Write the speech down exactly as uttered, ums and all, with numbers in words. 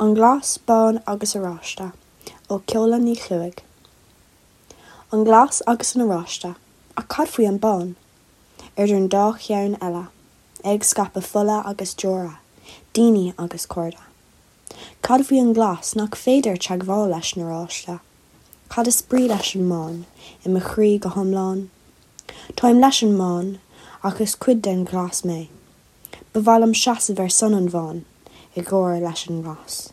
An Glas, Bán agus Oráiste ó Ceola Ní Chluaigh. An glas agus an oráiste, ach cad faoi an bán? Idir an dá cheann eile, ag scaipeadh fola agus deora, daoine agus cairde. Cad faoi an glas nach féidir teagmháil leis an oráiste? Cad is brí leis an mbán i mo chroí go hiomlán? Táim leis an mbán ach is cuid den ghlas mé. Ba mhaith liom seasamh ar son an bháin i gcomhar leis an nglas.